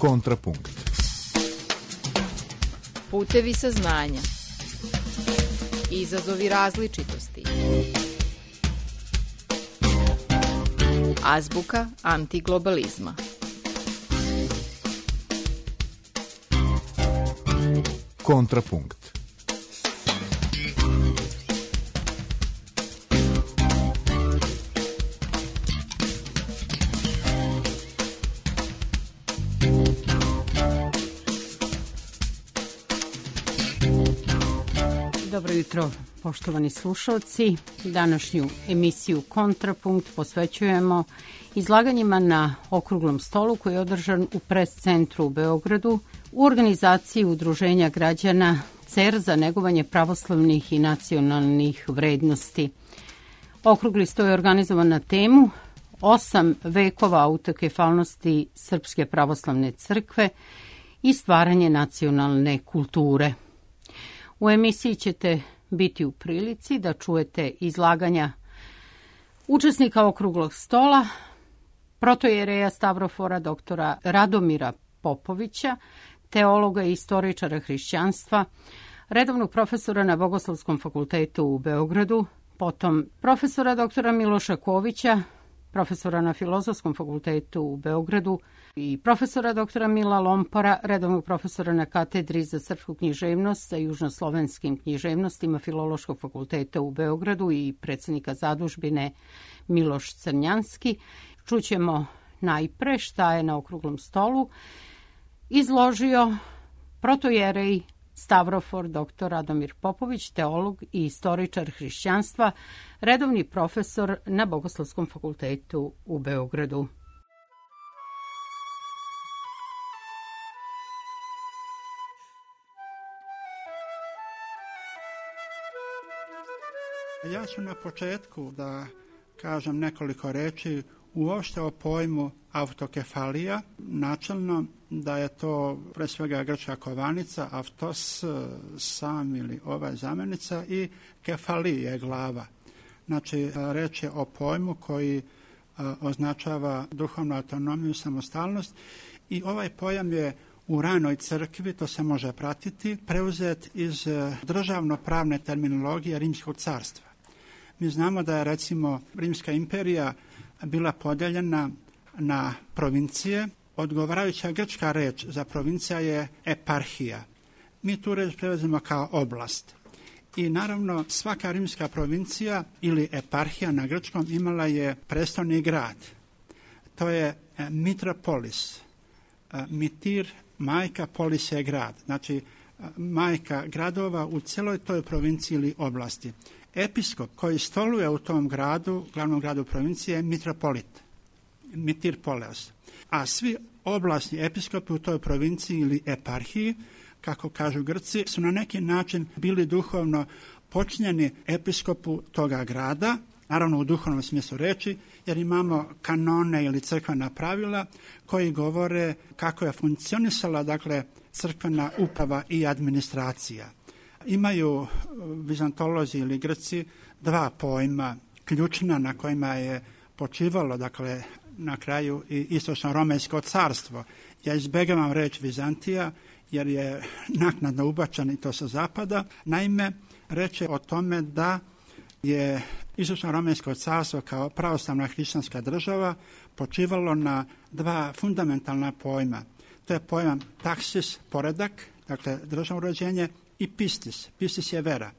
Kontrapunkt. Putevi saznanja. Izazovi različitosti. Azbuka antiglobalizma. Kontrapunkt. Dobro jutro, poštovani slušalci. Današnju emisiju Kontrapunkt posvećujemo izlaganjima na okruglom stolu koji je održan u Pres centru u Beogradu u organizaciji Udruženja građana CER za negovanje pravoslavnih i nacionalnih vrednosti. Okrugli sto je organizovan na temu 8 vekova autokefalnosti Srpske pravoslavne crkve i stvaranje nacionalne kulture. U emisiji ćete biti u prilici da čujete izlaganja učesnika okruglog stola, protojereja Stavrofora doktora Radomira Popovića, teologa i istoričara hrišćanstva, redovnog profesora na Bogoslovskom fakultetu u Beogradu, potom profesora doktora Miloša Kovića, profesora na Filozofskom fakultetu u Beogradu i profesora doktora Mila Lompara, redovnog profesora na katedri za srpsku književnost sa južnoslovenskim književnostima Filološkog fakulteta u Beogradu i predsjednika zadužbine Miloš Crnjanski. Čućemo najpre šta je na okruglom stolu izložio protojerej Stavrofor dr. Radomir Popović, teolog i istoričar hrišćanstva, redovni profesor na Bogoslovskom fakultetu u Beogradu. Ja ću na početku da kažem nekoliko reči uopšte o pojmu autokefalija. Načelno da je to pre svega grčka kovanica, autos, sam ili ova zamjenica i kefali je glava. Znači, reč je o pojmu koji označava duhovnu autonomiju i samostalnost i ovaj pojam je u ranoj crkvi, to se može pratiti, preuzet iz državno-pravne terminologije Rimskog carstva. Mi znamo da je recimo Rimska imperija bila podeljena na provincije. Odgovarajuća grčka reč za provincija je eparhija. Mi tu reč prevezimo kao oblast. I naravno svaka rimska provincija ili eparhija na grčkom imala je prestolni grad. To je mitropolis. Mitir, majka, polis je grad. Znači majka gradova u cijeloj toj provinciji ili oblasti. Episkop koji stoluje u tom gradu, glavnom gradu provincije, je mitropolit, mitirpoleos. A svi oblasni episkopi u toj provinciji ili eparhiji, kako kažu Grci, su na neki način bili duhovno počinjeni episkopu toga grada, naravno u duhovnom smislu reči, jer imamo kanone ili crkvena pravila koji govore kako je funkcionisala, dakle, crkvena uprava i administracija. Imaju vizantolozi ili Grci dva pojma ključna na kojima je počivalo, dakle, na kraju i istočno-romejsko carstvo. Ja izbjegavam reč Vizantija jer je naknadno ubačen i to sa zapada. Naime, reč je o tome da je istočno-romejsko carstvo kao pravoslavna hrišćanska država počivalo na dva fundamentalna pojma. To je pojam taksis, poredak, dakle državno uređenje, i pistis. Pistis je vera.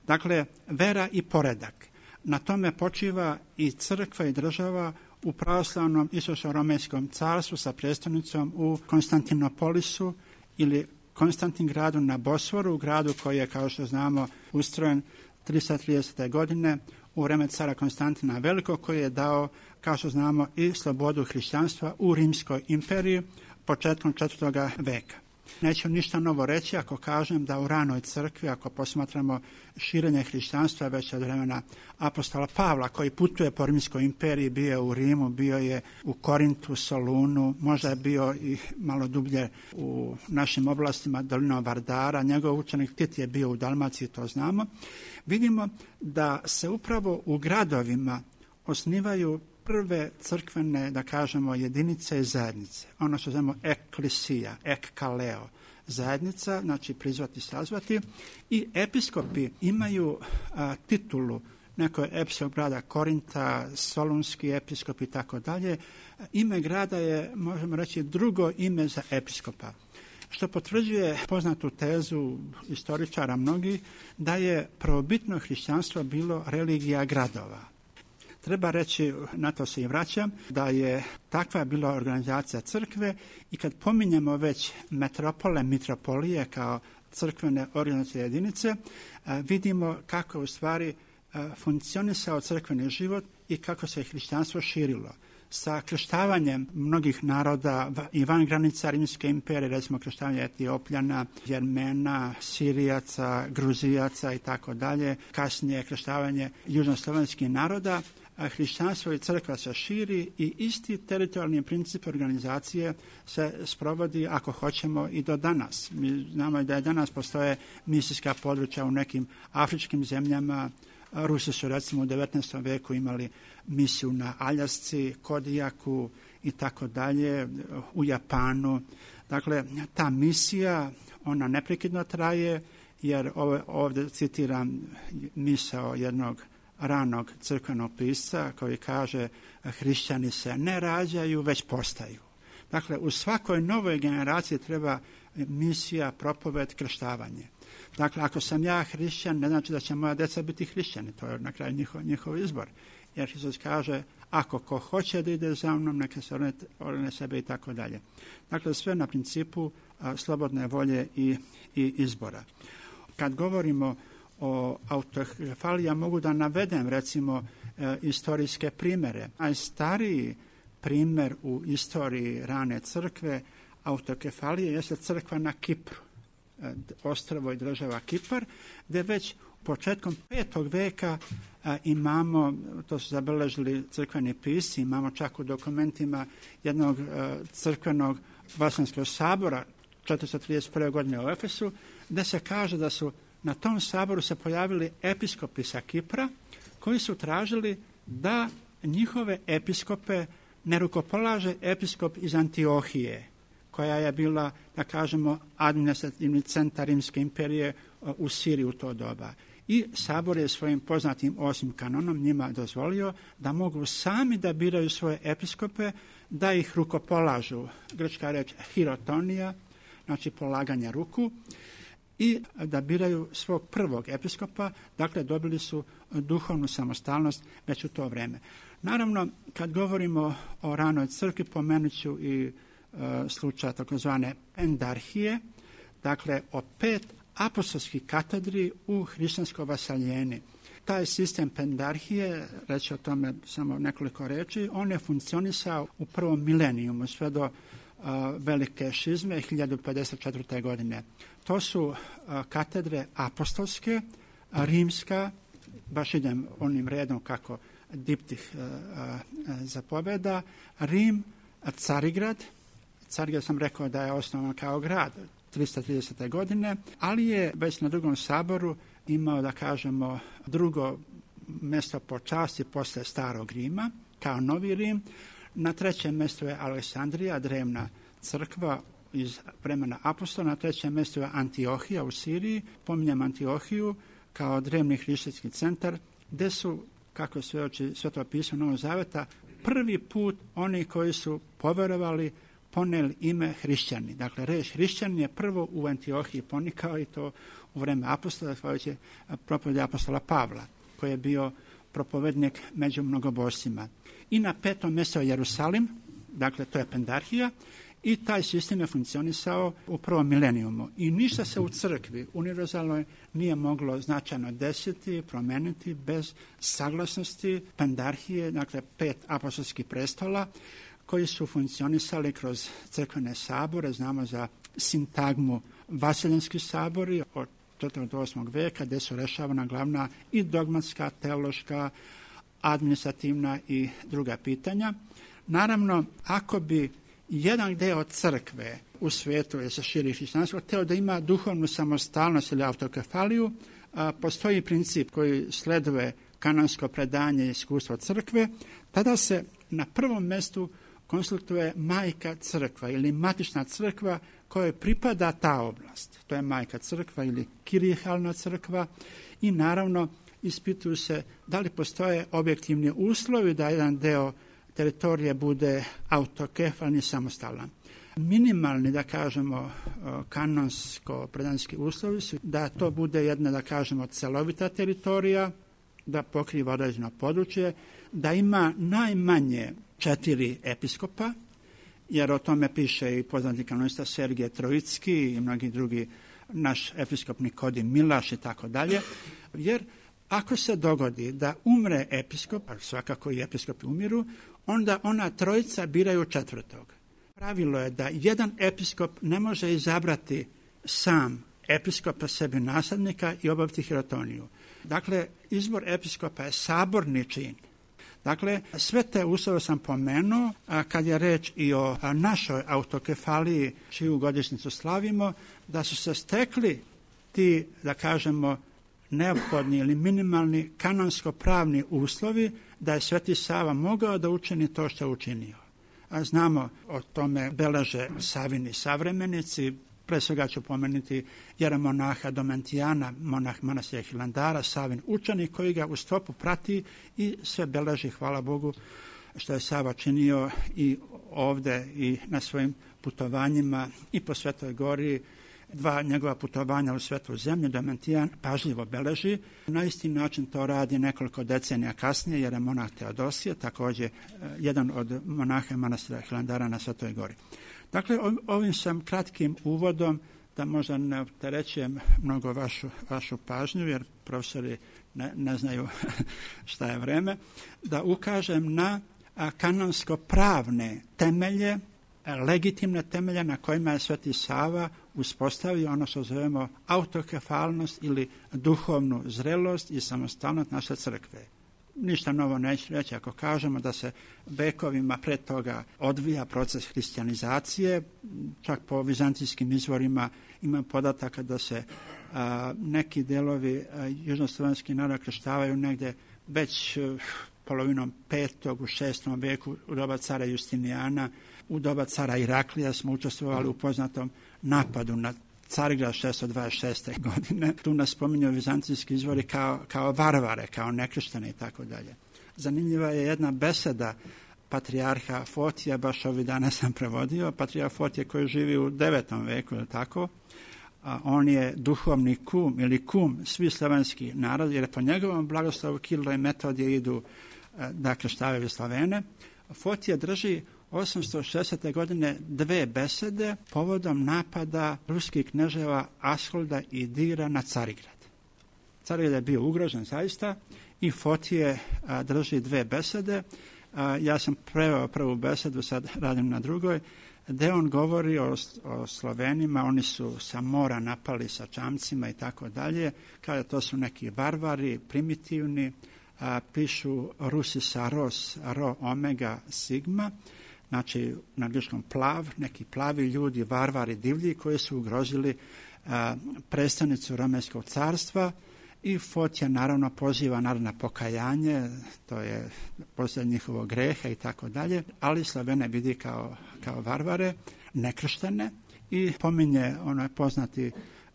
Dakle, vera i poredak. Na tome počiva i crkva i država u pravoslavnom istočno-romejskom carstvu sa prijestolnicom u Konstantinopolisu ili Konstantin gradu na Bosforu, gradu koji je, kao što znamo, ustrojen 330. godine u vreme cara Konstantina Velikog, koji je dao, kao što znamo, i slobodu hrišćanstva u Rimskoj imperiji početkom 4. veka. Neću ništa novo reći ako kažem da u ranoj crkvi, ako posmatramo širenje hrišćanstva već od vremena apostola Pavla, koji putuje po Rimskoj imperiji, bio je u Rimu, bio je u Korintu, Solunu, možda je bio i malo dublje u našim oblastima dolinom Vardara, njegov učenik Tit je bio u Dalmaciji, to znamo. Vidimo da se upravo u gradovima osnivaju prve crkvene, da kažemo, jedinice i zajednice. Ono što zovemo eklisija, ekkaleo, zajednica, znači prizvati, sazvati. I episkopi imaju titulu, neko je episkop grada Korinta, solunski episkop i tako dalje. Ime grada je, možemo reći, drugo ime za episkopa, što potvrđuje poznatu tezu istoričara mnogi da je prvobitno hrišćanstvo bilo religija gradova. Treba reći, na to se i vraćam, da je takva bila organizacija crkve i kad pominjemo već metropole, mitropolije kao crkvene organizacije jedinice, vidimo kako u stvari funkcionisao crkveni život i kako se hrišćanstvo širilo. Sa krštavanjem mnogih naroda i van granica Rimske imperije, recimo krštavanje Etiopljana, Jermena, Sirijaca, Gruzijaca i tako dalje, kasnije krštavanje južnoslovenskih naroda, hrišćanstvo i crkva se širi i isti teritorijalni princip organizacije se sprovodi, ako hoćemo, i do danas. Mi znamo da je danas postoje misijska područja u nekim afričkim zemljama. Rusi su recimo u 19. veku imali misiju na Aljasci, Kodijaku i tako dalje, u Japanu. Dakle, ta misija, ona neprekidno traje, jer ovdje citiram misao jednog ranog crkvenog pisca koji kaže: hrišćani se ne rađaju, već postaju. Dakle, u svakoj novoj generaciji treba misija, propoved, krštavanje. Dakle, ako sam ja hrišćan, ne znači da će moja djeca biti hrišćani, to je na kraju njihov izbor. Jer Isus kaže, ako ko hoće da ide za mnom, neka se orne sebe i tako dalje. Dakle, sve na principu slobodne volje i izbora. Kad govorimo o autokefaliji, ja mogu da navedem recimo istorijske primjere. Najstariji primjer u istoriji rane crkve autokefalije jeste crkva na Kipru, ostrvo i država Kipar, gdje već početkom 5. veka imamo, to su zabeležili crkveni pisci, imamo čak u dokumentima jednog crkvenog vaseljenskog sabora 431. godine u Efesu, gdje se kaže da su na tom saboru se pojavili episkopi sa Kipra koji su tražili da njihove episkope ne rukopolaže episkop iz Antiohije, koja je bila, da kažemo, administrativni centar Rimske imperije u Siriji u to doba. I sabor je svojim poznatim 8. kanonom njima dozvolio da mogu sami da biraju svoje episkope, da ih rukopolažu. Grčka reč hirotonija, znači polaganje ruku, i da biraju svog prvog episkopa, dakle dobili su duhovnu samostalnost već u to vrijeme. Naravno, kad govorimo o ranoj crkvi, pomenut ću i slučaj takozvane pendarhije, dakle o 5 apostolskih katedri u hrišćanskoj vasaljeni. Taj sistem pendarhije, reći o tome samo nekoliko reči, on je funkcionisao u prvom milenijumu sve do velike šizme 1054. godine. To su katedre apostolske, rimska, baš idem onim redom kako diptih zapoveda, Rim, Carigrad sam rekao da je osnovan kao grad 330. godine, ali je već na drugom saboru imao, da kažemo, drugo mjesto po časti posle starog Rima, kao novi Rim. Na trećem mjestu je Aleksandrija, drevna crkva iz vremena apostola. Na trećem mjestu je Antiohija u Siriji. Pominjem Antiohiju kao drevni hrišćanski centar, gdje su, kako svjedoči Sveto pismo Novog Zaveta, prvi put oni koji su poverovali poneli ime hrišćani. Dakle, reč hrišćanin je prvo u Antiohiji ponikao i to u vreme apostola, zahvaljujući propovedi apostola Pavla, koji je bio propovednik među mnogobošcima. I na 5. mjestu je Jerusalim, dakle to je pendarhija, i taj sistem je funkcionisao u prvom milenijumu. I ništa se u crkvi univerzalnoj nije moglo značajno desiti, promeniti bez saglasnosti pendarhije, dakle 5 apostolskih prestola, koji su funkcionisali kroz crkvene sabore. Znamo za sintagmu vaseljenski sabori od 4. do 8. veka, gdje su rešavana glavna i dogmatska, teološka, administrativna i druga pitanja. Naravno, ako bi jedan deo crkve u svijetu, jer se širi hrišćanstvo, htio da ima duhovnu samostalnost ili autokefaliju, postoji princip koji sleduje kanonsko predanje i iskustvo crkve, tada se na prvom mjestu konsultuje majka crkva ili matična crkva kojoj pripada ta oblast. To je majka crkva ili kirihalna crkva i naravno ispituju se da li postoje objektivni uslovi da jedan deo teritorije bude autokefalni i samostalan. Minimalni, da kažemo, kanonsko-predanski uslovi su da to bude jedna, da kažemo, celovita teritorija, da pokriva određeno područje, da ima najmanje 4 episkopa, jer o tome piše i poznati kanonista Sergije Trojicki i mnogi drugi, naš episkop Nikodin Milaš i tako dalje, jer ako se dogodi da umre episkop, a svakako i episkopi umiru, onda ona trojica biraju 4. Pravilo je da jedan episkop ne može izabrati sam episkopa sebi naslednika i obaviti hirotoniju. Dakle, izbor episkopa je saborni čin. Dakle, sve te uslove sam pomenuo, a kad je reč i o našoj autokefaliji, čiju godišnjicu slavimo, da su se stekli ti, da kažemo, neophodni ili minimalni kanonsko-pravni uslovi da je Sveti Sava mogao da učini to što je učinio. A znamo, o tome beleže Savini savremenici, pre svega ću pomenuti jeremonaha Domentijana, monah manastira Hilandara, Savin učenik koji ga u stopu prati i sve beleži, hvala Bogu, što je Sava činio i ovde i na svojim putovanjima i po Svetoj Gori. 2 njegova putovanja u Svetu zemlju Domentijan pažljivo beleži. Na isti način to radi nekoliko decenija kasnije, jer je monah Teodosije, također jedan od monaha manastira Hilandara na Svetoj Gori. Dakle, ovim sam kratkim uvodom, da možda ne opterećujem mnogo vašu pažnju, jer profesori ne znaju šta je vreme, da ukažem na kanonsko-pravne temelje, legitimne temelje na kojima je Sveti Sava uspostavio ono što zovemo autokefalnost ili duhovnu zrelost i samostalnost naše crkve. Ništa novo neću reći ako kažemo da se vekovima pre toga odvija proces hrišćanizacije, čak po vizantijskim izvorima ima podataka da se neki delovi južnoslovenskih naroda krštavaju negde već polovinom 5. u 6. veku u doba cara Justinijana. U doba cara Iraklija smo učestvovali u poznatom napadu na Carigrad 626. godine. Tu nas spominju vizantijski izvori kao varvare, kao nekrštene i tako dalje. Zanimljiva je jedna beseda patrijarha Fotija, baš ovih dana sam prevodio, patrijarh Fotije koji živi u 9. veku, ili tako. On je duhovni kum ili kum svih slovenskih naroda, jer po njegovom blagoslovu Kirilo i Metodije idu da krštavaju Slovene. Fotija drži 860. godine 2 besede povodom napada ruskih kneževa Asholda i Dira na Carigrad. Carigrad je bio ugrožen zaista i Fotije drži 2 besede. Ja sam preveo prvu besedu, sad radim na drugoj, gde on govori o Slovenima, oni su sa mora napali sa čamcima i tako dalje, kada to su neki varvari, primitivni, pišu Rusi sa ro omega sigma, znači na angliškom plav, neki plavi ljudi, varvari, divlji koji su ugrozili predstavnicu Romejskog carstva i Fotija naravno poziva narod na pokajanje, to je posljednje njihovog greha i tako dalje, ali Slovene vidi kao varvare, nekrštene i pominje onaj poznati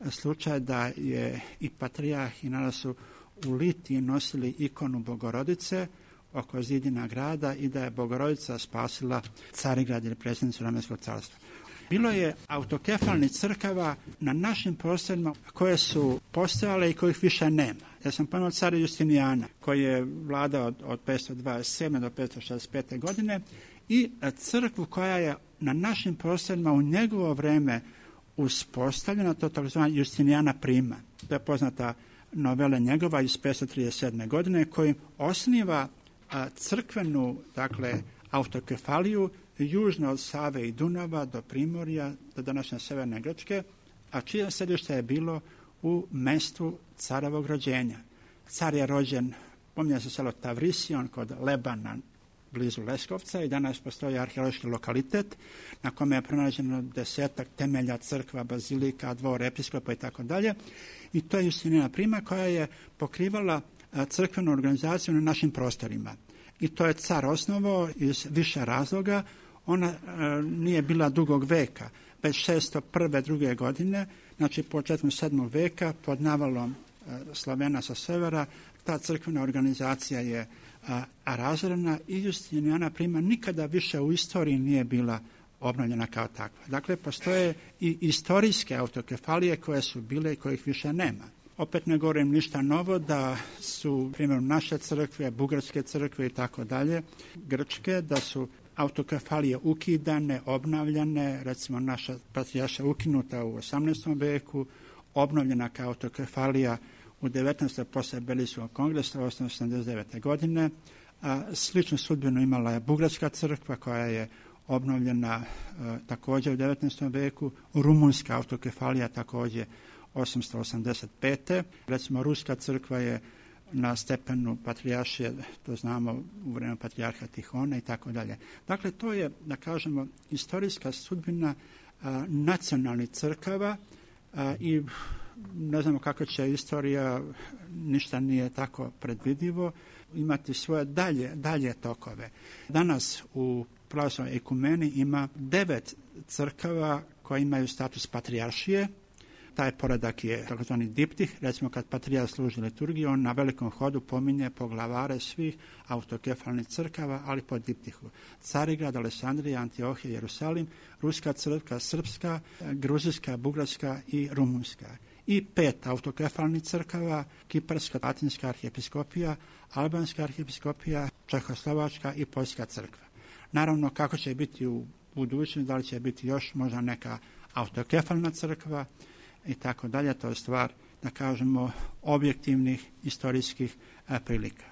slučaj da je i patrijarh i narod su u Litiji nosili ikonu Bogorodice oko zidina grada i da je Bogorodica spasila Carigrad ili predsjednicu Romejskog carstva. Bilo je autokefalnih crkava na našim prostorima koje su postojale i kojih više nema. Ja sam pomenuo cara Justinijana koji je vladao od 527. do 565. godine i crkvu koja je na našim prostorima u njegovo vreme uspostavljena, to tzv. Justinijana prima. To je poznata novela njegova iz 537. godine kojim osniva crkvenu, dakle, autokefaliju južno od Save i Dunava do Primorja, do današnje severne Grčke, a čije središte je bilo u mestu carovog rođenja. Car je rođen, pominje se selo Tavrision kod Lebana blizu Leskovca i danas postoji arheološki lokalitet na kome je pronađeno 10 temelja crkva, bazilika, dvor episkopa i tako dalje. I to je Justinijana prima koja je pokrivala crkvenu organizaciju na našim prostorima. I to je car osnovao iz više razloga. Ona nije bila dugog veka, već 601. druge godine, znači početkom 7. veka, pod navalom Slovena sa severa, ta crkvena organizacija je razorena i Justinijana prima nikada više u istoriji nije bila obnovljena kao takva. Dakle, postoje i istorijske autokefalije koje su bile i kojih više nema. Opet ne govorim ništa novo da su, primjer, naše crkve, bugarske crkve i tako dalje, grčke, da su autokefalije ukidane, obnavljane, recimo naša patrijaršija ukinuta u 18. veku, obnovljena kao autokefalija u 19. poslije Belijskog kongresa 1889. godine. Sličnu sudbinu imala je bugarska crkva koja je obnovljena također u 19. veku, rumunska autokefalija također 885. Recimo ruska crkva je na stepenu patrijaršije, to znamo u vrijeme patrijarha Tihona i tako dalje. Dakle, to je, da kažemo, istorijska sudbina nacionalnih crkava i ne znamo kako će istorija, ništa nije tako predvidivo, imati svoje dalje tokove. Danas u pravoslavnoj ekumeni ima 9 crkava koje imaju status patrijaršije. Taj poredak je takozvani diptih. Recimo kad patrijarh služi liturgiju, on na velikom hodu pominje poglavare svih autokefalnih crkava, ali po diptihu. Carigrad, Alesandrija, Antiohija, Jerusalim, ruska crkva, srpska, gruzijska, bugarska i rumunska. I 5 autokefalnih crkava, kiparska, latinska arhijepiskopija, albanska arhijepiskopija, čehoslovačka i poljska crkva. Naravno, kako će biti u budućnosti, da li će biti još možda neka autokefalna crkva i tako dalje, to je stvar, da kažemo, objektivnih historijskih prilika.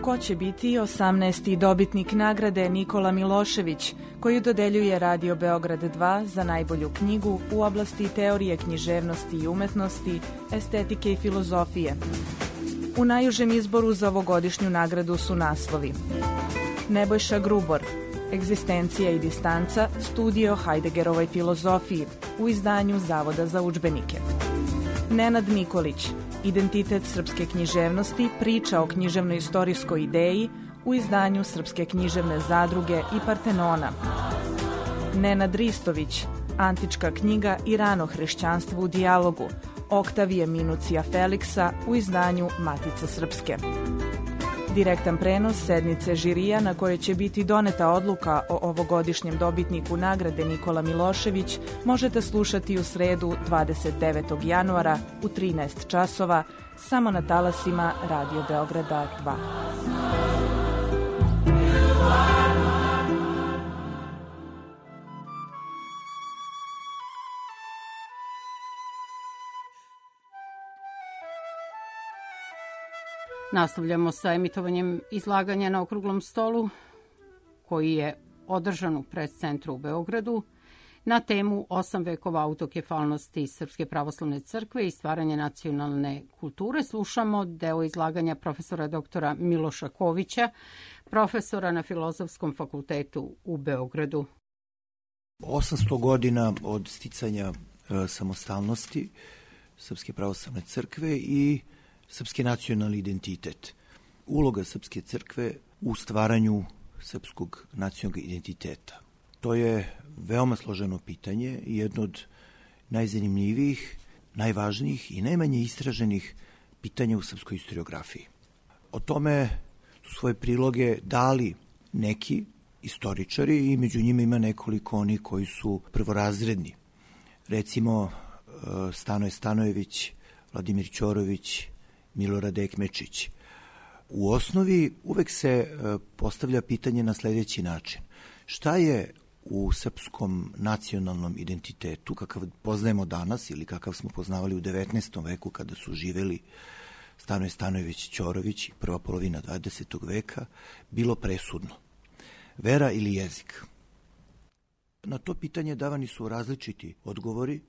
Ko će biti 18. dobitnik nagrade Nikola Milošević, koju dodeljuje Radio Beograd 2 za najbolju knjigu u oblasti teorije književnosti i umetnosti, estetike i filozofije? U najužem izboru za ovogodišnju nagradu su naslovi: Nebojša Grubor, Egzistencija i distanca, studije o Hajdegerovoj filozofiji u izdanju Zavoda za udžbenike; Nenad Nikolić, Identitet srpske književnosti, priča o književno-istorijskoj ideji u izdanju Srpske književne zadruge i Partenona; Nenad Ristović, Antička knjiga i rano hrišćanstvo u dijalogu, Oktavije Minucija Feliksa u izdanju Matice srpske. Direktan prenos sednice žirija na kojoj će biti doneta odluka o ovogodišnjem dobitniku nagrade Nikola Milošević možete slušati u sredu 29. januara u 13 časova samo na talasima Radio Beograda 2. Nastavljamo sa emitovanjem izlaganja na okruglom stolu koji je održan u Pres-centru u Beogradu na temu 8 vekova autokefalnosti Srpske pravoslavne crkve i stvaranje nacionalne kulture. Slušamo deo izlaganja profesora doktora Miloša Kovića, profesora na Filozofskom fakultetu u Beogradu. 800 godina od sticanja samostalnosti Srpske pravoslavne crkve i srpski nacionalni identitet. Uloga Srpske crkve u stvaranju srpskog nacionalnog identiteta. To je veoma složeno pitanje i jedno od najzanimljivijih, najvažnijih i najmanje istraženih pitanja u srpskoj historiografiji. O tome su svoje priloge dali neki istoričari i među njima ima nekoliko onih koji su prvorazredni. Recimo Stanoje Stanojević, Vladimir Ćorović, Milorad Ekmečić. U osnovi uvek se postavlja pitanje na sledeći način. Šta je u srpskom nacionalnom identitetu, kakav poznajemo danas ili kakav smo poznavali u 19. veku kada su živeli Stanoje Stanojević, Ćorović i prva polovina 20. veka, bilo presudno? Vera ili jezik? Na to pitanje davani su različiti odgovori.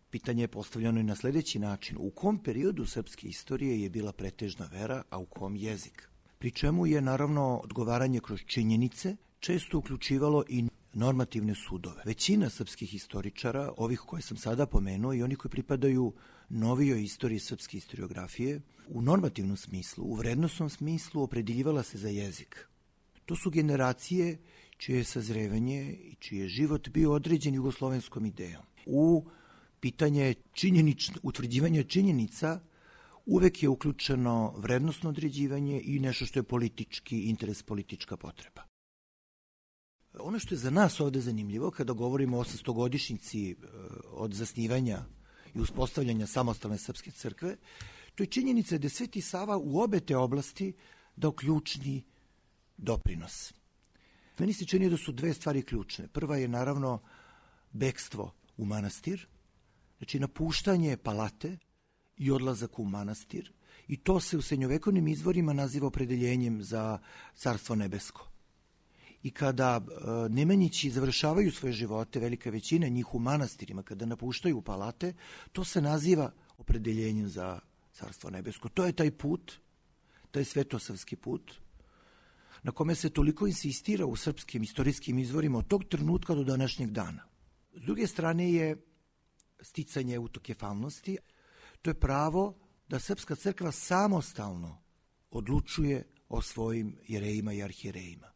Pitanje je postavljeno i na sledeći način. U kom periodu srpske istorije je bila pretežna vera, a u kom jezik? Pri čemu je naravno odgovaranje kroz činjenice često uključivalo i normativne sudove. Većina srpskih istoričara, ovih koje sam sada pomenuo i oni koji pripadaju novijoj istoriji srpske historiografije, u normativnom smislu, u vrednosnom smislu opredeljivala se za jezik. To su generacije čije je sazrevanje i čiji je život bio određen jugoslovenskom idejom. U pitanje utvrđivanja činjenica uvek je uključeno vrednosno određivanje i nešto što je politički interes, politička potreba. Ono što je za nas ovde zanimljivo kada govorimo o 800-godišnjici od zasnivanja i uspostavljanja samostalne srpske crkve, to je činjenica da je Sveti Sava u obe te oblasti dao ključni doprinos. Meni se čini da su dve stvari ključne. Prva je naravno bekstvo u manastir, znači napuštanje palate i odlazak u manastir, i to se u srednjovekovnim izvorima naziva opredeljenjem za Carstvo nebesko. I kada Nemanjići završavaju svoje živote, velika većina njih u manastirima, kada napuštaju palate, to se naziva opredeljenjem za Carstvo nebesko. To je taj put, taj svetosavski put, na kome se toliko insistira u srpskim istorijskim izvorima od tog trenutka do današnjeg dana. S druge strane je sticanje autokefalnosti. To je pravo da Srpska crkva samostalno odlučuje o svojim jerejima i arhijerejima.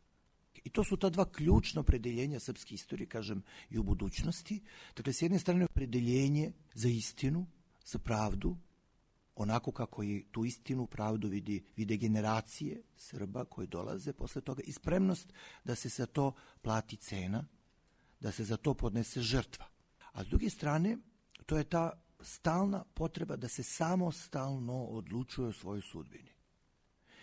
I to su ta dva ključna opredeljenja srpske istorije, kažem, i u budućnosti. Dakle, s jedne strane opredeljenje za istinu, za pravdu, onako kako i tu istinu, pravdu vide generacije Srba koji dolaze posle toga, i spremnost da se za to plati cena, da se za to podnese žrtva. A s druge strane, to je ta stalna potreba da se samostalno odlučuje o svojoj sudbini.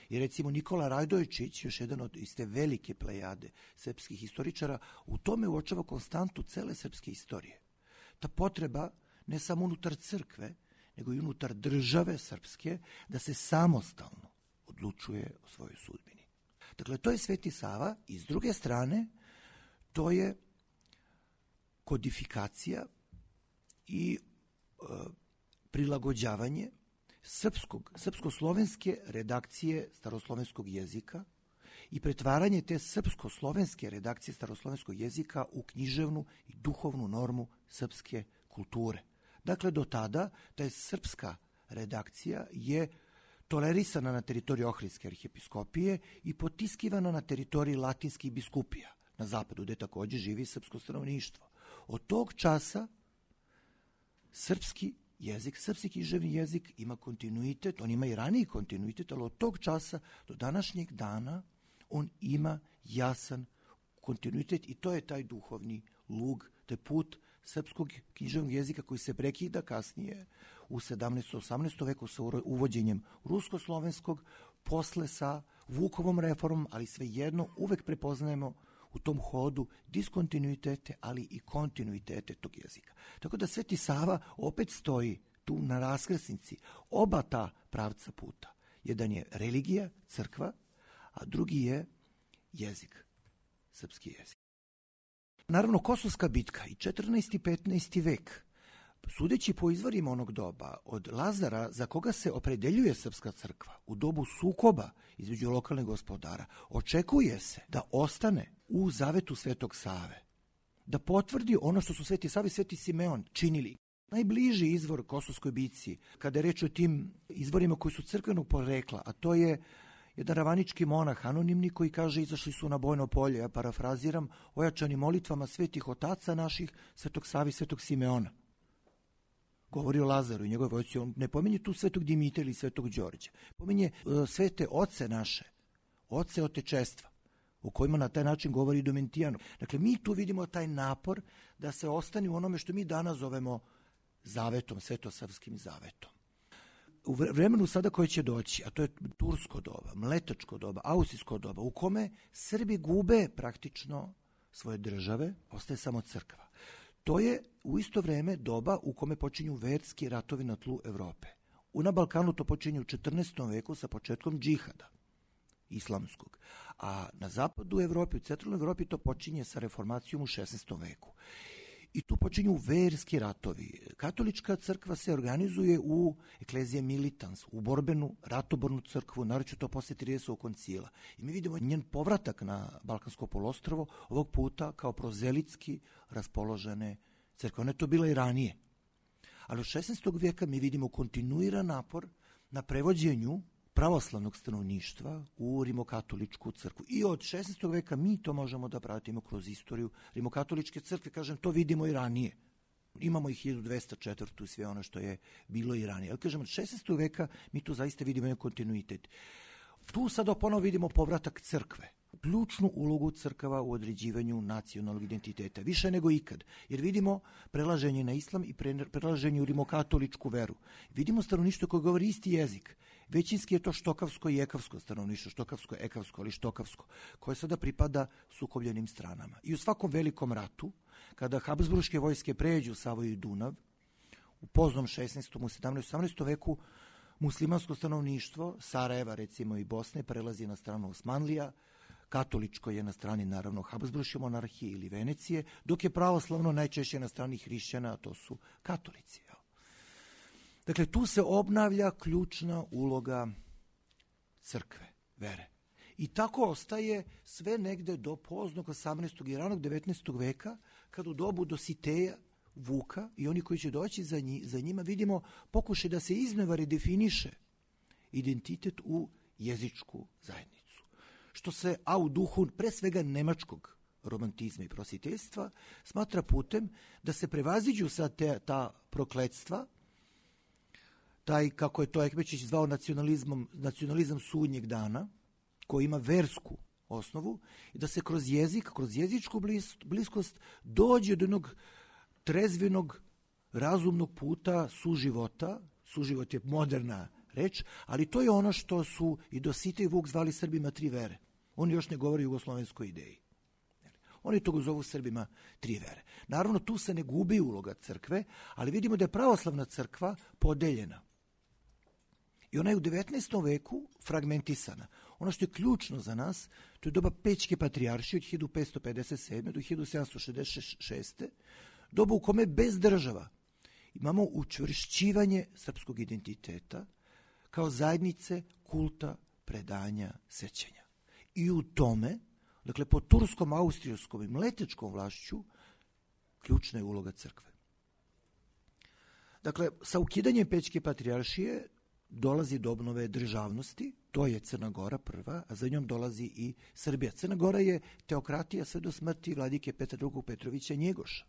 I recimo Nikola Radojčić, još jedan od iste velike plejade srpskih historičara, u tome uočava konstantu cele srpske istorije. Ta potreba ne samo unutar crkve, nego i unutar države srpske, da se samostalno odlučuje o svojoj sudbini. Dakle, to je Sveti Sava i s druge strane to je kodifikacija i prilagođavanje srpsko-slovenske redakcije staroslovenskog jezika i pretvaranje te srpsko-slovenske redakcije staroslovenskog jezika u književnu i duhovnu normu srpske kulture. Dakle, do tada ta srpska redakcija je tolerisana na teritoriji Ohridske arhijepiskopije i potiskivana na teritoriji latinskih biskupija na zapadu, gde takođe živi srpsko stanovništvo. Od tog časa srpski jezik, srpski književni jezik ima kontinuitet, on ima i raniji kontinuitet, ali od tog časa do današnjeg dana on ima jasan kontinuitet i to je taj duhovni lug, to je put srpskog književnog jezika koji se prekida kasnije u 17. 18. veku sa uvođenjem rusko-slovenskog, posle sa Vukovom reformom, ali svejedno uvek prepoznajemo u tom hodu diskontinuitete, ali i kontinuitete tog jezika. Tako da Sveti Sava opet stoji tu na raskrsnici oba ta pravca puta. Jedan je religija, crkva, a drugi je jezik, srpski jezik. Naravno, Kosovska bitka i 14. i 15. vek, sudeći po izvorima onog doba, od Lazara za koga se opredeljuje srpska crkva u dobu sukoba između lokalnih gospodara, očekuje se da ostane u zavetu Svetog Save, da potvrdi ono što su Sveti Sava i Sveti Simeon činili. Najbliži izvor Kosovskoj bitci, kada je reč o tim izvorima koji su crkvenog porekla, a to je jedan ravanički monah, anonimni, koji kaže izašli su na bojno polje, ja parafraziram, ojačani molitvama svetih otaca naših, Svetog Save i Svetog Simeona. Govori o Lazaru i njegove vojsci, on ne pominje tu Svetog Dimitrija ili Svetog Đorđa, pominje svete oce naše, oce otečestva, o kojima na taj način govori Domitijan. Dakle, mi tu vidimo taj napor da se ostane u onome što mi danas zovemo zavetom, svetosavskim zavetom. U vremenu sada koje će doći, a to je tursko doba, mletačko doba, austrijsko doba, u kome Srbi gube praktično svoje države, ostaje samo crkva. To je u isto vreme doba u kome počinju verski ratovi na tlu Evrope. Na Balkanu to počinje u 14. veku sa početkom džihada islamskog, a na zapadu Evrope, u centralnoj Evropi to počinje sa reformacijom u 16. veku. I tu počinju verski ratovi. Katolička crkva se organizuje u eklezije militans, u borbenu, ratobornu crkvu, naročito to posle 30. koncila. I mi vidimo njen povratak na Balkansko poluostrvo, ovog puta kao prozelitski raspoložene crkve. Ona je to bila i ranije. Ali od 16. vijeka mi vidimo kontinuiran napor na prevođenju pravoslavnog stanovništva u rimokatoličku crkvu. I od 16. veka mi to možemo da pratimo kroz istoriju rimokatoličke crkve, kažem, to vidimo i ranije. Imamo i 1204. i sve ono što je bilo i ranije. Ali kažem, od 16. veka mi tu zaista vidimo jedan kontinuitet. Tu sad ponovo vidimo povratak crkve, ključnu ulogu crkava u određivanju nacionalnog identiteta, više nego ikad, jer vidimo prelaženje na islam i prelaženje u rimokatoličku veru. Vidimo stanovništvo koje govori isti jezik. Većinski je to štokavsko i ekavsko stanovništvo, štokavsko, ekavsko, ali štokavsko, koje sada pripada sukobljenim stranama. I u svakom velikom ratu, kada Habsburške vojske pređu Savoju i Dunav, u poznom 16. u 17. 18. veku, muslimansko stanovništvo Sarajeva, recimo i Bosne, prelazi na stranu Osmanlija, katoličko je na strani, naravno, Habsburške monarhije ili Venecije, dok je pravoslavno najčešće na strani hrišćana, a to su katolici. Dakle, tu se obnavlja ključna uloga crkve, vere. I tako ostaje sve negde do poznog 18. i ranog 19. veka, kad u dobu Dositeja, Vuka i oni koji će doći za njima, vidimo pokušaj da se iznova redefiniše identitet u jezičku zajednicu. Što se, a u duhu pre svega nemačkog romantizma i prositeljstva, smatra putem da se prevaziđu sad ta prokletstva, taj, kako je to Ekmečić zvao, nacionalizam sudnjeg dana, koji ima versku osnovu, i da se kroz jezik, kroz jezičku bliskost dođe do jednog trezvenog, razumnog puta suživota. Suživot je moderna reč, ali to je ono što su i Dositej i Vuk zvali Srbima tri vere. Oni još ne govore o jugoslovenskoj ideji. Oni to zovu Srbima tri vere. Naravno, tu se ne gubi uloga crkve, ali vidimo da je pravoslavna crkva podeljena. I ona je u 19. veku fragmentisana. Ono što je ključno za nas, to je doba Pećke patrijaršije od 1557. do 1766. Doba u kome bez država imamo učvršćivanje srpskog identiteta kao zajednice kulta, predanja, sećanja. I u tome, dakle, pod turskom, austrijskom i mletečkom vlašću, ključna je uloga crkve. Dakle, sa ukidanjem Pećke patrijaršije dolazi do obnove državnosti, to je Crna Gora prva, a za njom dolazi i Srbija. Crna Gora je teokratija sve do smrti vladike Petra II. Petrovića Njegoša.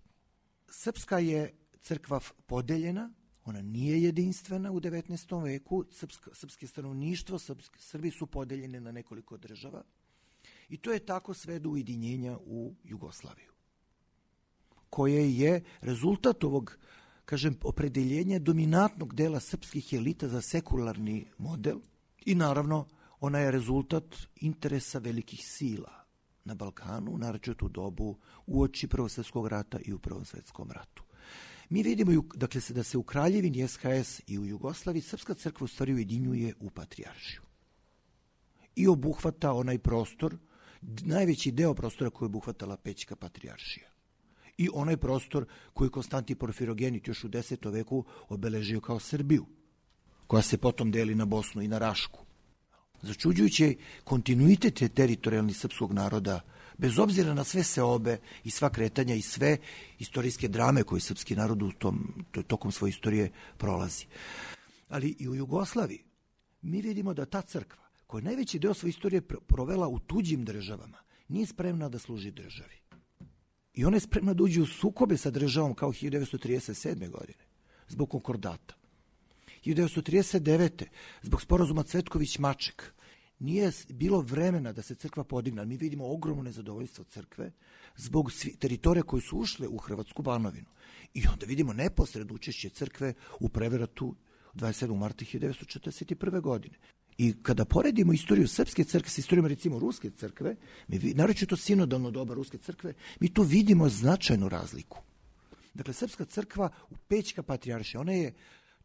Srpska je crkva podeljena, ona nije jedinstvena u 19. veku, srpske stanovništvo, Srbi su podeljene na nekoliko država i to je tako sve do ujedinjenja u Jugoslaviju, koje je rezultat ovog, kažem, opredeljenja dominantnog dela srpskih elita za sekularni model i naravno ona je rezultat interesa velikih sila na Balkanu, naročito u dobu uoči Prvog svjetskog rata i u Prvom svjetskom ratu. Mi vidimo, dakle, da se u Kraljevini SHS i u Jugoslaviji srpska crkva u stvari ujedinjuje u patrijaršiju i obuhvata onaj prostor, najveći deo prostora koji je obuhvatala Pećka patrijaršija i onaj prostor koji Konstantin Porfirogenit još u 10. veku obeležio kao Srbiju, koja se potom deli na Bosnu i na Rašku. Začuđujući kontinuitet teritorijalni srpskog naroda, bez obzira na sve seobe i sva kretanja i sve istorijske drame koje srpski narod tokom svoje istorije prolazi. Ali i u Jugoslaviji mi vidimo da ta crkva, koja je najveći deo svoje istorije provela u tuđim državama, nije spremna da služi državi. I ona je spremna da uđe u sukobe sa državom kao 1937. godine, zbog konkordata. 1939. zbog sporazuma Cvetković-Maček nije bilo vremena da se crkva podigne. Mi vidimo ogromno nezadovoljstvo crkve zbog teritorija koji su ušle u Hrvatsku Banovinu. I onda vidimo neposredno učešće crkve u prevratu 27. marta 1941. godine. I kada poredimo istoriju srpske crkve sa istorijom, recimo, ruske crkve, naročito sinodalno doba ruske crkve, mi tu vidimo značajnu razliku. Dakle, srpska crkva u Pećka patrijaršija, ona je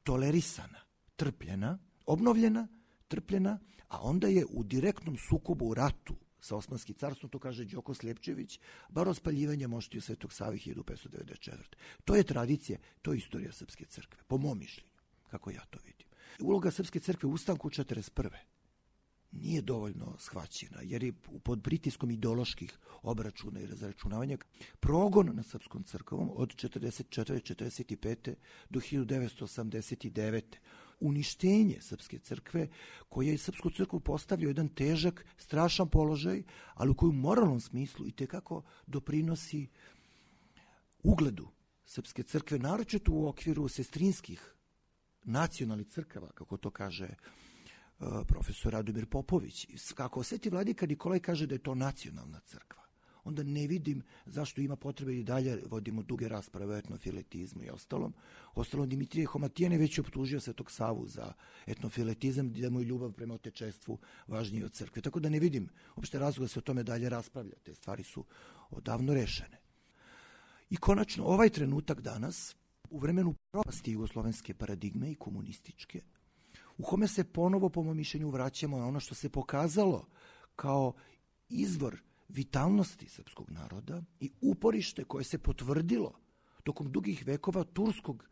tolerisana, trpljena, obnovljena, trpljena, a onda je u direktnom sukobu u ratu sa Osmanskim carstvom, to kaže Đoko Sljepčević, bar o spaljivanje moštiju Svetog Save 1594. To je tradicija, to je istorija srpske crkve, po mom mišljenju, kako ja to vidim. Uloga srpske crkve u ustanku 1941. nije dovoljno shvaćena, jer je pod pritiskom ideoloških obračuna i razračunavanja progon nad srpskom crkvom od 1944-1945. do 1989. Uništenje srpske crkve, koja je srpsku crkvu postavio jedan težak, strašan položaj, ali u koju u moralnom smislu i tekako doprinosi ugledu srpske crkve, naročito u okviru sestrinskih nacionalnih crkava, kako to kaže profesor Radomir Popović. Kako Sveti vladika Nikolaj kaže da je to nacionalna crkva, onda ne vidim zašto ima potrebe i dalje vodimo duge rasprave o etnofiletizmu i ostalom. Ostalom, Dimitrije Homatijan je već optužio Svetog Savu za etnofiletizam, da mu je ljubav prema otečestvu važnije od crkve. Tako da ne vidim uopšte razloga da se o tome dalje raspravlja. Te stvari su odavno rešene. I konačno, ovaj trenutak danas, u vremenu propasti jugoslovenske paradigme i komunističke, u kome se ponovo, po mom mišljenju, vraćamo na ono što se pokazalo kao izvor vitalnosti srpskog naroda i uporište koje se potvrdilo tokom dugih vekova turskog,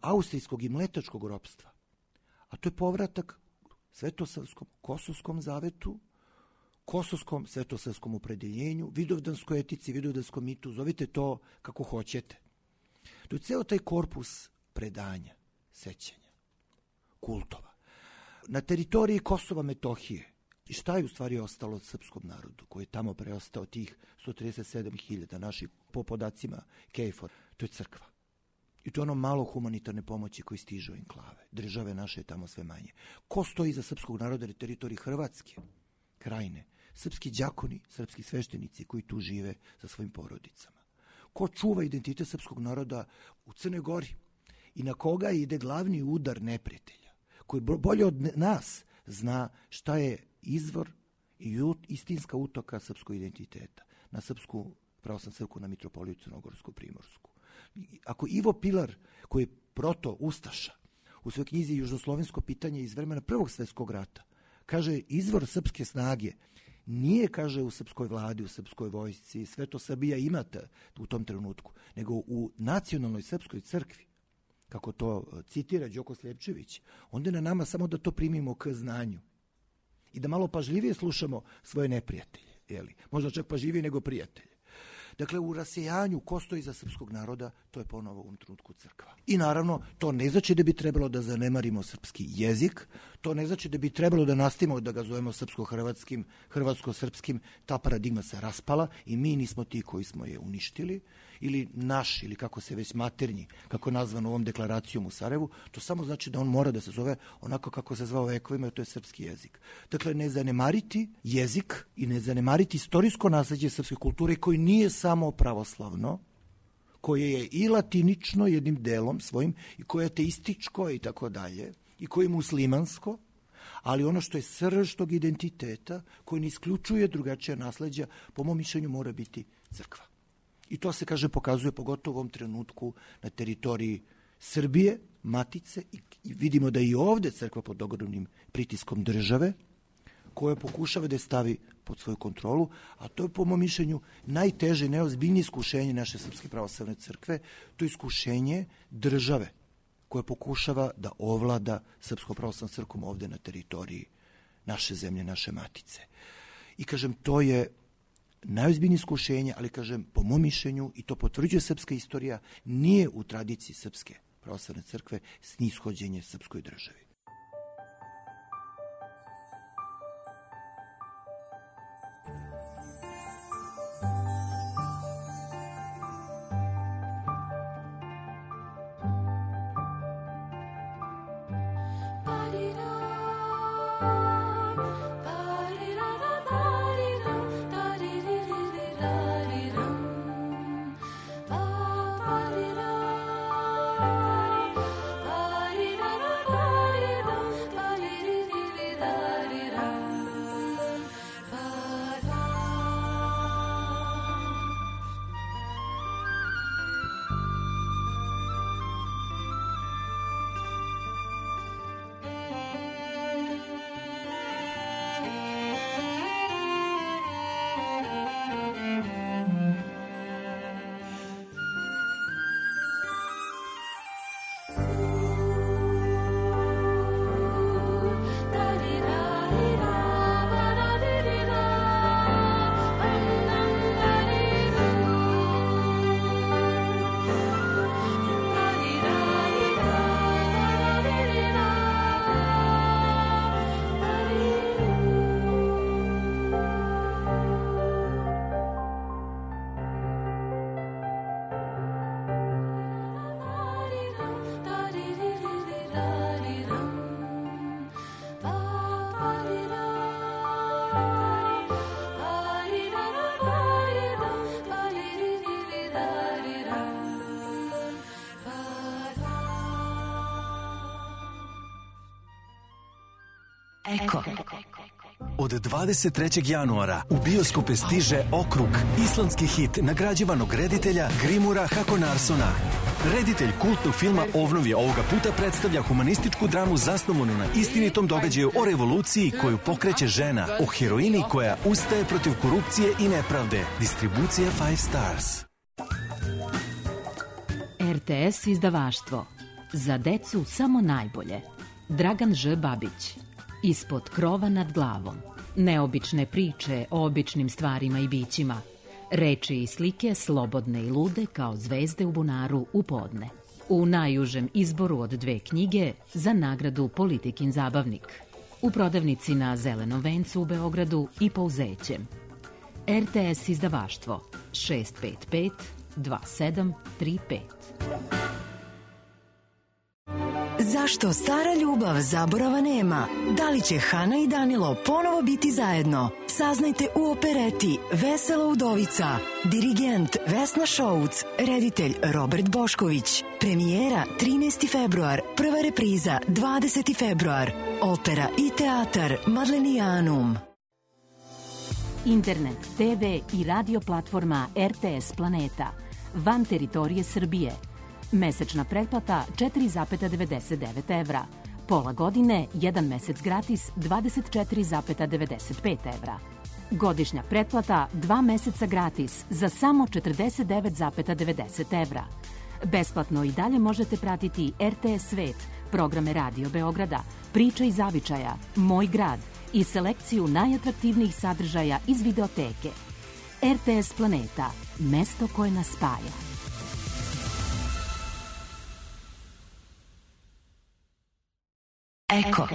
austrijskog i mletačkog ropstva. A to je povratak svetosavskom kosovskom zavetu, kosovskom svetosavskom opredeljenju, vidovdanskoj etici, vidovdanskom mitu, zovite to kako hoćete. To je ceo taj korpus predanja, sećanja, kultova. Na teritoriji Kosova Metohije, i šta je u stvari ostalo od srpskom narodu, koji je tamo preostao tih 137.000 naših, po podacima KFOR, to je crkva. I to je ono malo humanitarne pomoći koji stižu enklave. Države naše je tamo sve manje. Ko stoji za srpskog naroda na teritoriji Hrvatske, Krajine? Srpski đakoni, srpski sveštenici koji tu žive sa svojim porodicama. Ko čuva identitet srpskog naroda u Crnoj Gori i na koga ide glavni udar neprijatelja, koji bolje od nas zna šta je izvor i istinska utoka srpskog identiteta, na Srpsku pravoslavnu crkvu, na Mitropoliju Crnogorsku, Primorsku. Ako Ivo Pilar, koji je proto ustaša, u svojoj knjizi Južnoslovensko pitanje iz vremena Prvog svjetskog rata. Kaže, izvor srpske snage nije, kaže, u srpskoj vladi, u srpskoj vojsci, sve to Srbija imate u tom trenutku, nego u nacionalnoj srpskoj crkvi, kako to citira Đoko Sljepčević. Onda je na nama samo da to primimo k znanju i da malo pažljivije slušamo svoje neprijatelje, jeli? Možda čak pažljivije nego prijatelje. Dakle, u rasejanju ko stoji za srpskog naroda, to je ponovo u ovom trenutku crkva. I naravno, to ne znači da bi trebalo da zanemarimo srpski jezik, to ne znači da bi trebalo da nastavimo da ga zovemo srpsko-hrvatskim, hrvatsko-srpskim, ta paradigma se raspala i mi nismo ti koji smo je uništili, ili naš, ili kako se već maternji, kako je nazvano ovom deklaracijom u Sarajevu, to samo znači da on mora da se zove onako kako se zvao vekovima, to je srpski jezik. Dakle, ne zanemariti jezik i ne zanemariti istorijsko nasleđe srpske kulture koji nije samo pravoslavno, koje je i latinično jednim delom svojim i koje je ateističko i tako dalje, i koje je muslimansko, ali ono što je srž tog identiteta, koji ne isključuje drugačija nasleđa, po mom mišljenju mora biti crkva. I to se, kaže, pokazuje pogotovo u ovom trenutku na teritoriji Srbije, matice, i vidimo da i ovde crkva pod ogromnim pritiskom države, koja pokušava da je stavi pod svoju kontrolu, a to je po mom mišljenju najteže i najozbiljnije iskušenje naše Srpske pravoslavne crkve, to je iskušenje države koja pokušava da ovlada Srpskom pravoslavnom crkvom ovde na teritoriji naše zemlje, naše matice. I kažem, to je najozbiljnije iskušenje, ali kažem, po mom mišljenju, i to potvrđuje srpska istorija, nije u tradiciji Srpske pravoslavne crkve snishođenje srpskoj državi. Eko. Od 23. januara u bioskope stiže Okrug, islandski hit nagrađivanog reditelja Grimura Hakonarsona. Reditelj kultnog filma Ovnovje ovoga puta predstavlja humanističku dramu zasnovanu na istinitom događaju o revoluciji koju pokreće žena, o heroini koja ustaje protiv korupcije i nepravde. Distribucija 5 Stars. RTS izdavaštvo. Za decu samo najbolje. Dragan Ž. Babić. Ispod krova nad glavom. Neobične priče o običnim stvarima i bićima. Reči i slike slobodne i lude kao zvezde u bunaru u podne. U najužem izboru od 2 knjige za nagradu Politikin zabavnik. U prodavnici na Zelenom vencu u Beogradu i Pouzećem. RTS izdavaštvo 655 2735. Zašto stara ljubav zaborava nema? Da li će Hana i Danilo ponovo biti zajedno? Saznajte u opereti Vesela udovica. Dirigent Vesna Šouc, reditelj Robert Bošković. Premijera 13. februar, prva repriza 20. februar. Opera i teatar Madlenijanum. Internet, TV i radio platforma RTS Planeta. Van teritorije Srbije. Mesečna pretplata 4,99 evra. Pola godine, 1 mesec gratis 24,95 evra. Godišnja pretplata 2 meseca gratis za samo 49,90 evra. Besplatno i dalje možete pratiti RTS Svet, programe Radio Beograda, Priče i zavičaja, Moj grad i selekciju najatraktivnijih sadržaja iz videoteke. RTS Planeta, mesto koje nas spaja. Eko.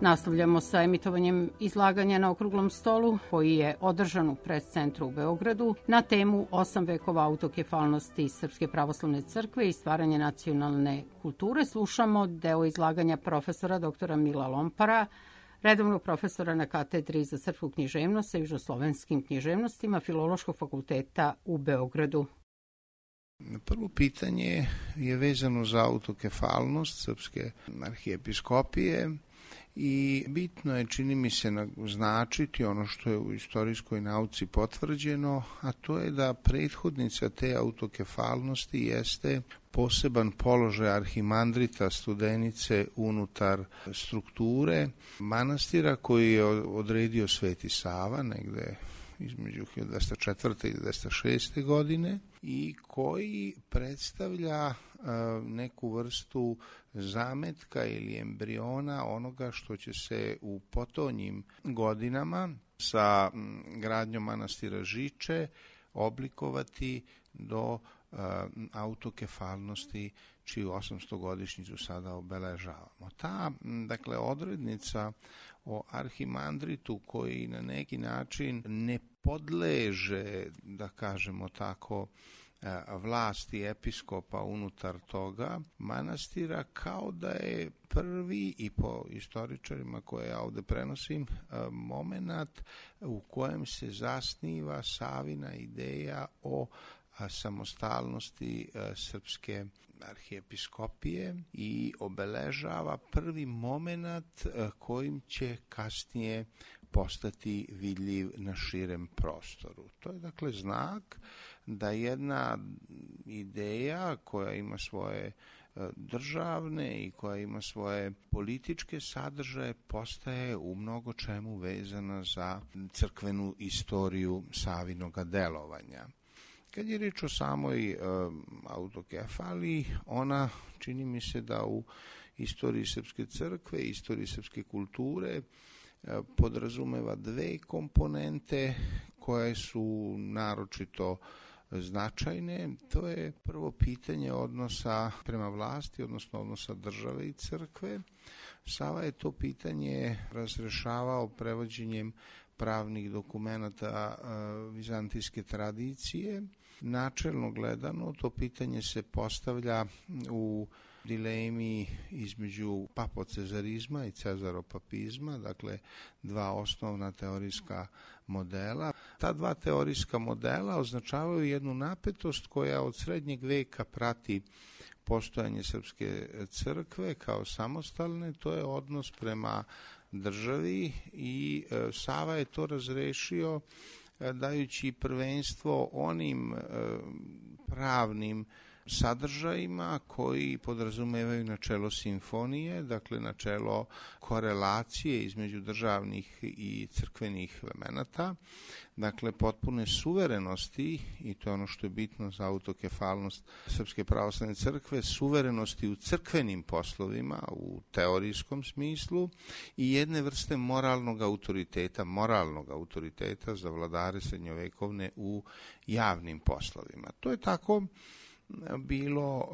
Nastavljamo sa emitovanjem izlaganja na okruglom stolu koji je održan u Pres-centru u Beogradu na temu 8 vekova autokefalnosti Srpske pravoslavne crkve i stvaranje nacionalne kulture. Slušamo deo izlaganja profesora dr. Mila Lompara, redovnog profesora na katedri za srpsku književnost sa južnoslovenskim književnostima Filološkog fakulteta u Beogradu. Prvo pitanje je vezano za autokefalnost Srpske arhijepiskopije i bitno je, čini mi se, naznačiti ono što je u istorijskoj nauci potvrđeno, a to je da prethodnica te autokefalnosti jeste poseban položaj arhimandrita Studenice unutar strukture manastira koji je odredio Sveti Sava negde između 1204. i 1206. godine i koji predstavlja neku vrstu zametka ili embriona onoga što će se u potonjim godinama sa gradnjom manastira Žiče oblikovati do autokefalnosti čiju 800-godišnjicu sada obeležavamo. Ta, dakle, odrednica o arhimandritu koji na neki način ne podleže, da kažemo tako, vlasti episkopa unutar toga manastira, kao da je prvi, i po istoričarima koje ja ovde prenosim, moment u kojem se zasniva Savina ideja o samostalnosti Srpske arhijepiskopije i obeležava prvi moment kojim će kasnije postati vidljiv na širem prostoru. To je dakle znak da jedna ideja koja ima svoje državne i koja ima svoje političke sadržaje postaje u mnogo čemu vezana za crkvenu istoriju Savinoga delovanja. Kad je reč o samoj autokefaliji, ona, čini mi se, da u istoriji Srpske crkve, istoriji srpske kulture podrazumeva dve komponente koje su naročito značajne. To je prvo pitanje odnosa prema vlasti, odnosno odnosa države i crkve. Sava je to pitanje razrešavao prevođenjem pravnih dokumenata vizantijske tradicije. Načelno gledano, to pitanje se postavlja u dilemi između papocezarizma i cezaropapizma, dakle dva osnovna teorijska modela. Ta dva teorijska modela označavaju jednu napetost koja od srednjeg veka prati postojanje Srpske crkve kao samostalne, to je odnos prema državi i Sava je to razrešio dajući prvenstvo onim pravnim sadržajima koji podrazumevaju načelo simfonije, dakle načelo korelacije između državnih i crkvenih elemenata, dakle potpune suverenosti, i to je ono što je bitno za autokefalnost Srpske pravoslavne crkve, suverenosti u crkvenim poslovima, u teorijskom smislu, i jedne vrste moralnog autoriteta za vladare srednjovekovne u javnim poslovima. To je tako bilo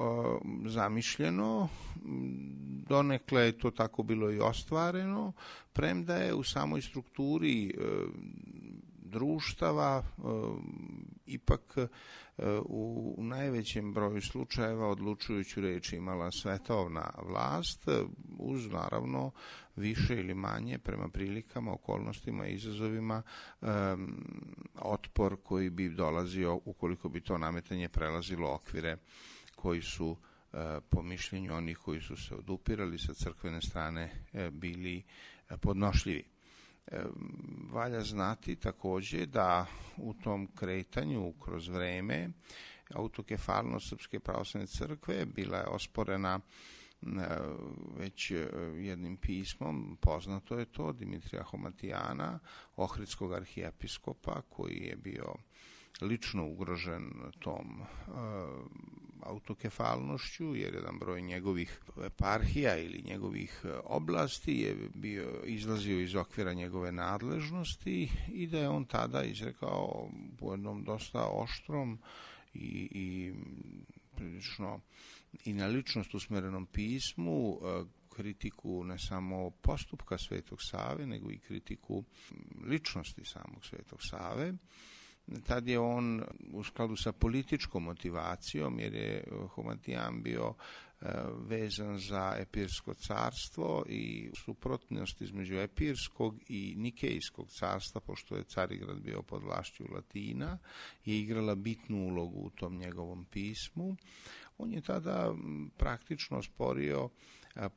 zamišljeno, donekle je to tako bilo i ostvareno, premda je u samoj strukturi društava ipak u najvećem broju slučajeva odlučujuću reč imala svetovna vlast, uz naravno više ili manje prema prilikama, okolnostima i izazovima otpor koji bi dolazio ukoliko bi to nametanje prelazilo okvire koji su po mišljenju onih koji su se odupirali sa crkvene strane bili podnošljivi. Valja znati takođe da u tom kretanju kroz vreme autokefalnost Srpske pravoslavne crkve bila je osporena već jednim pismom, poznato je to, Dimitrija Homatijana, ohridskog arhijepiskopa, koji je bio lično ugrožen tom autokefalnošću, jer jedan broj njegovih eparhija ili njegovih oblasti je izlazio iz okvira njegove nadležnosti i da je on tada izrekao u jednom dosta oštrom i prilično i na ličnost usmerenom pismu kritiku ne samo postupka Svetog Save, nego i kritiku ličnosti samog Svetog Save. Tad je on u skladu sa političkom motivacijom, jer je Homatijan bio vezan za Epirsko carstvo i suprotnost između Epirskog i Nikejskog carstva, pošto je Carigrad bio pod vlašću Latina, je igrala bitnu ulogu u tom njegovom pismu. On je tada praktično sporio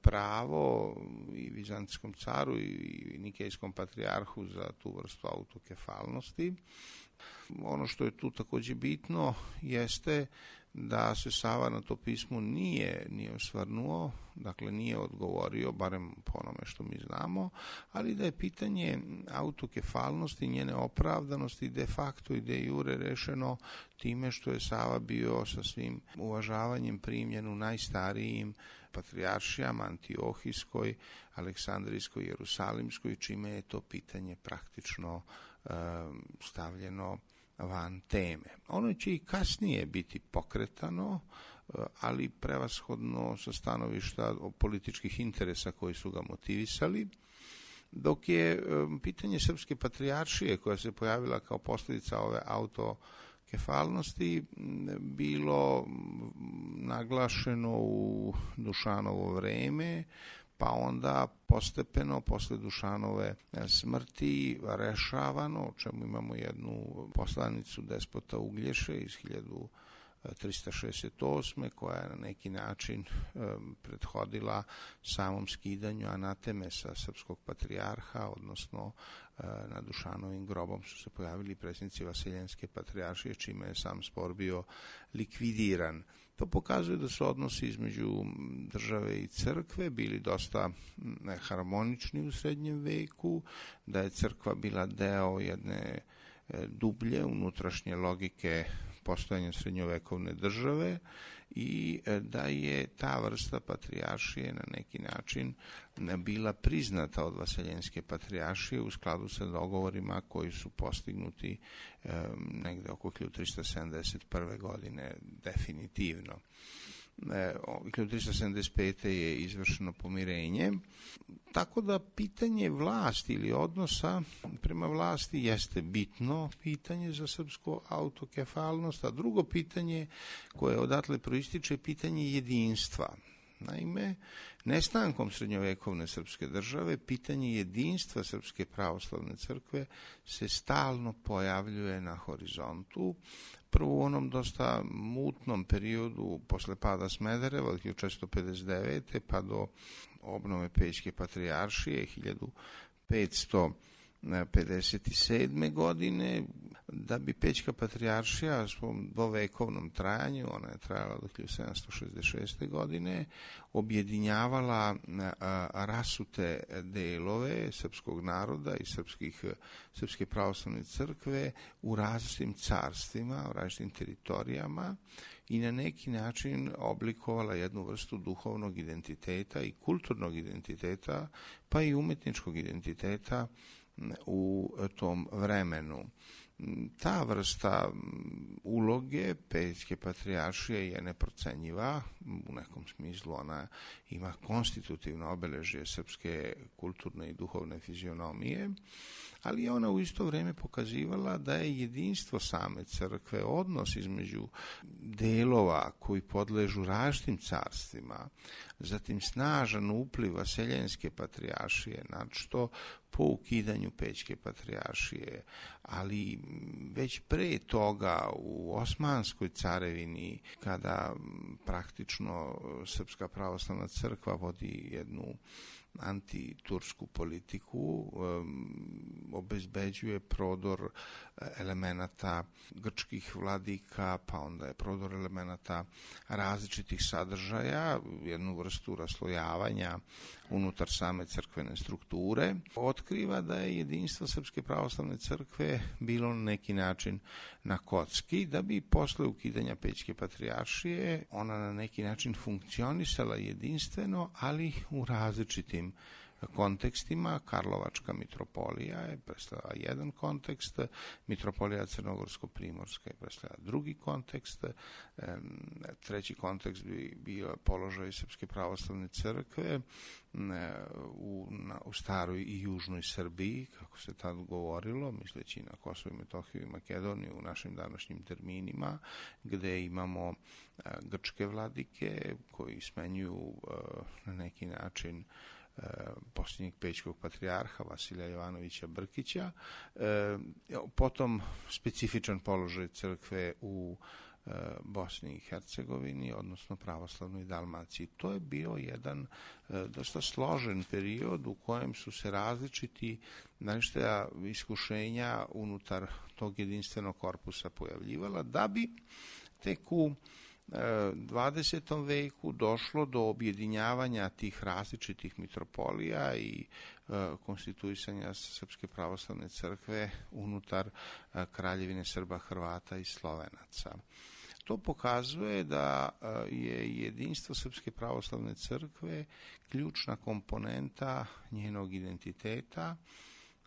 pravo i Vizantijskom caru i Nikejskom patrijarhu za tu vrstu autokefalnosti. Ono što je tu takođe bitno jeste da se Sava na to pismo nije osvrnuo, dakle nije odgovorio, barem po onome što mi znamo, ali da je pitanje autokefalnosti, njene opravdanosti de facto i de jure rešeno time što je Sava bio sa svim uvažavanjem primljen u najstarijim patrijaršijama, Antiohijskoj, Aleksandrijskoj, Jerusalimskoj, čime je to pitanje praktično stavljeno van teme. Ono će i kasnije biti pokretano, ali prevashodno sa stanovišta političkih interesa koji su ga motivisali, dok je pitanje Srpske patrijaršije koja se pojavila kao posljedica ove autokefalnosti bilo naglašeno u Dušanovo vreme, pa onda postepeno posle Dušanove smrti rešavano, o čemu imamo jednu poslanicu despota Uglješe iz 1368. koja je na neki način prethodila samom skidanju anateme sa srpskog patrijarha, odnosno na Dušanovim grobom su se pojavili predsjednici Vaseljenske patrijaršije, čime je sam spor bio likvidiran. To pokazuje da su odnosi između države i crkve bili dosta harmonični u srednjem veku, da je crkva bila deo jedne dublje unutrašnje logike postojanja srednjovekovne države i da je ta vrsta patrijaršije na neki način bila priznata od Vaseljenske patrijaršije u skladu sa dogovorima koji su postignuti negde oko 1371. godine definitivno. 1375. je izvršeno pomirenje, tako da pitanje vlasti ili odnosa prema vlasti jeste bitno pitanje za srpsku autokefalnost, a drugo pitanje koje odatle proističe je pitanje jedinstva. Naime, nestankom srednjovekovne srpske države, pitanje jedinstva Srpske pravoslavne crkve se stalno pojavljuje na horizontu. Prvo u onom dosta mutnom periodu posle pada Smedereva od 1459. pa do obnove Pećke patrijaršije 1557. godine, da bi Pećka patrijaršija u svom dvovekovnom trajanju, ona je trajala do 1766. godine, objedinjavala rasute delove srpskog naroda i Srpske pravoslavne crkve u različitim carstvima, u različitim teritorijama i na neki način oblikovala jednu vrstu duhovnog identiteta i kulturnog identiteta, pa i umetničkog identiteta u tom vremenu. Ta vrsta uloge Pećke patrijaršije je neprocenjiva, u nekom smislu ona ima konstitutivno obeležje srpske kulturne i duhovne fizionomije, ali je ona u isto vrijeme pokazivala da je jedinstvo same crkve, odnos između delova koji podležu različitim carstvima, zatim snažan upliv vaseljenske patrijaršije, što po ukidanju Pećke patrijaršije, ali već pre toga u Osmanskoj carevini, kada praktično Srpska pravoslavna crkva vodi jednu antitursku politiku, obezbeđuje prodor elemenata grčkih vladika, pa onda je prodor elemenata različitih sadržaja, jednu vrstu raslojavanja unutar same crkvene strukture, otkriva da je jedinstvo Srpske pravoslavne crkve bilo na neki način na kocki, da bi posle ukidanja Pećke patrijaršije ona na neki način funkcionisala jedinstveno, ali u različitim kontekstima. Karlovačka mitropolija je predstavljala jedan kontekst, mitropolija Crnogorsko-primorska je predstavljala drugi kontekst, treći kontekst bi bio položaj Srpske pravoslavne crkve u staroj i južnoj Srbiji, kako se tad govorilo, misleći na Kosovo i Metohiju i Makedoniju u našim današnjim terminima, gde imamo grčke vladike koji smenjuju na neki način posljednjeg pećkog patrijarha Vasilija Jovanovića Brkića, potom specifičan položaj crkve u Bosni i Hercegovini, odnosno pravoslavnoj Dalmaciji. To je bio jedan dosta složen period u kojem su se različiti iskušenja unutar tog jedinstvenog korpusa pojavljivala, da bi tek u 20. veku došlo do objedinjavanja tih različitih mitropolija i konstituisanja Srpske pravoslavne crkve unutar Kraljevine Srba, Hrvata i Slovenaca. To pokazuje da je jedinstvo Srpske pravoslavne crkve ključna komponenta njenog identiteta,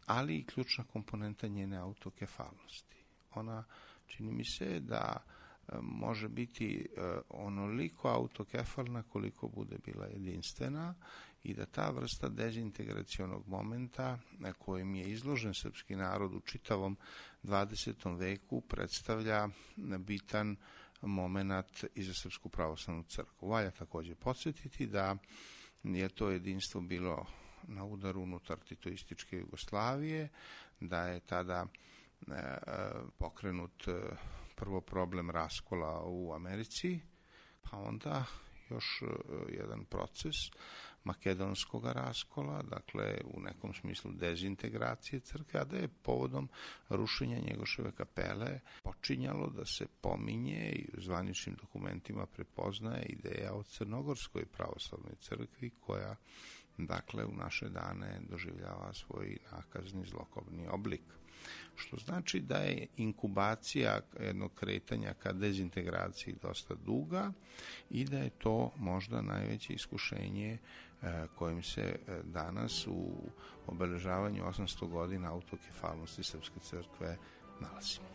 ali i ključna komponenta njene autokefalnosti. Ona, čini mi se, da može biti onoliko autokefalna koliko bude bila jedinstvena i da ta vrsta dezintegracionog momenta na kojem je izložen srpski narod u čitavom 20. veku predstavlja bitan moment i za Srpsku pravoslavnu crkvu. Valja također podsjetiti da je to jedinstvo bilo na udaru unutar titoističke Jugoslavije, da je tada pokrenut prvo problem raskola u Americi, pa onda još jedan proces makedonskog raskola, dakle u nekom smislu dezintegracije crkve, a da je povodom rušenja Njegoševe kapele počinjalo da se pominje i u zvaničnim dokumentima prepoznaje ideja o Crnogorskoj pravoslavnoj crkvi koja, dakle, u naše dane doživljava svoj nakazni zlokobni oblik. Što znači da je inkubacija jednog kretanja ka dezintegraciji dosta duga i da je to možda najveće iskušenje kojim se danas u obeležavanju 800 godina autokefalnosti Srpske crkve nalazimo.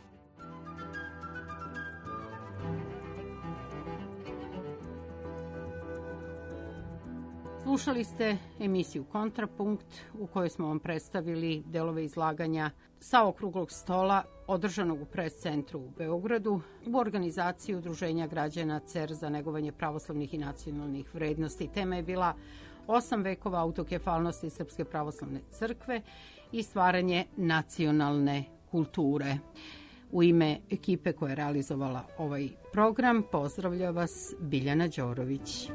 Slušali ste emisiju Kontrapunkt u kojoj smo vam predstavili delove izlaganja sa okruglog stola održanog u Pres-centru u Beogradu u organizaciji Udruženja građana CER za negovanje pravoslavnih i nacionalnih vrednosti. Tema je bila 8 vekova autokefalnosti Srpske pravoslavne crkve i stvaranje nacionalne kulture. U ime ekipe koja je realizovala ovaj program pozdravlja vas Biljana Đorović.